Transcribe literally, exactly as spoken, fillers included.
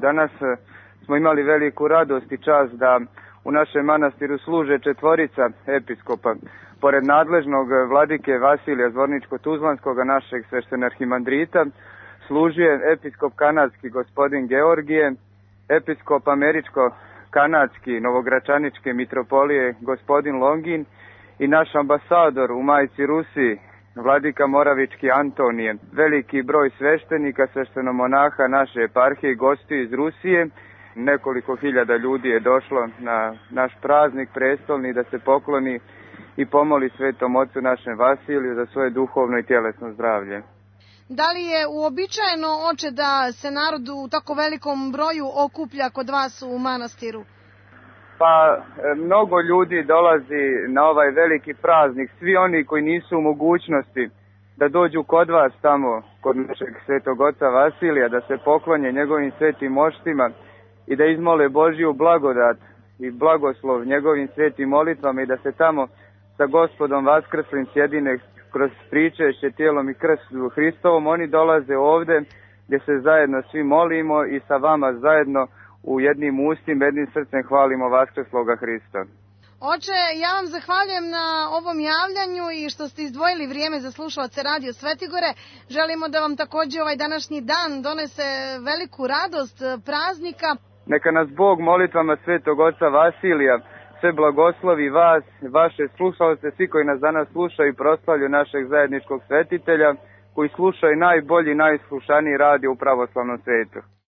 Danas smo imali veliku radost i čast da u našem manastiru služe četvorica episkopa. Pored nadležnog vladike Vasilija Zvorničko-Tuzlanskoga, našeg sveštenarhimandrita, služuje episkop kanadski gospodin Georgije, episkop američko-kanadski novogračaničke mitropolije gospodin Longin i naš ambasador u Majci Rusiji, vladika Moravički Antonije. Veliki broj sveštenika, sveštenomonaha naše eparhije i gostiju iz Rusije. Nekoliko hiljada ljudi je došlo na naš praznik prestolni da se pokloni i pomoli Svetom Ocu našem Vasiliju za svoje duhovno i tjelesno zdravlje. Da li je uobičajeno, oče, da se narod u tako velikom broju okuplja kod vas u manastiru? Pa, mnogo ljudi dolazi na ovaj veliki praznik. Svi oni koji nisu u mogućnosti da dođu kod vas tamo, kod našeg Svetog Oca Vasilija, da se poklonje njegovim svetim moštima i da izmole Božju blagodat i blagoslov njegovim svetim molitvama i da se tamo sa Gospodom Vaskrslim sjedine kroz pričešće tijelom i krstu Hristovom, oni dolaze ovde gdje se zajedno svi molimo i sa vama zajedno u jednim ustima, jednim srcem hvalimo Vaskrsloga Hrista. Oče, ja vam zahvaljujem na ovom javljanju i što ste izdvojili vrijeme za slušalace Radio Svetigore. Želimo da vam također ovaj današnji dan donese veliku radost praznika. Neka nas Bog molitvama Svetog Oca Vasilija sve blagoslovi vas, vaše slušalce, svi koji nas danas slušaju i proslavlju našeg zajedničkog svetitelja, koji slušaju najbolji, najslušaniji radio u pravoslavnom svetu.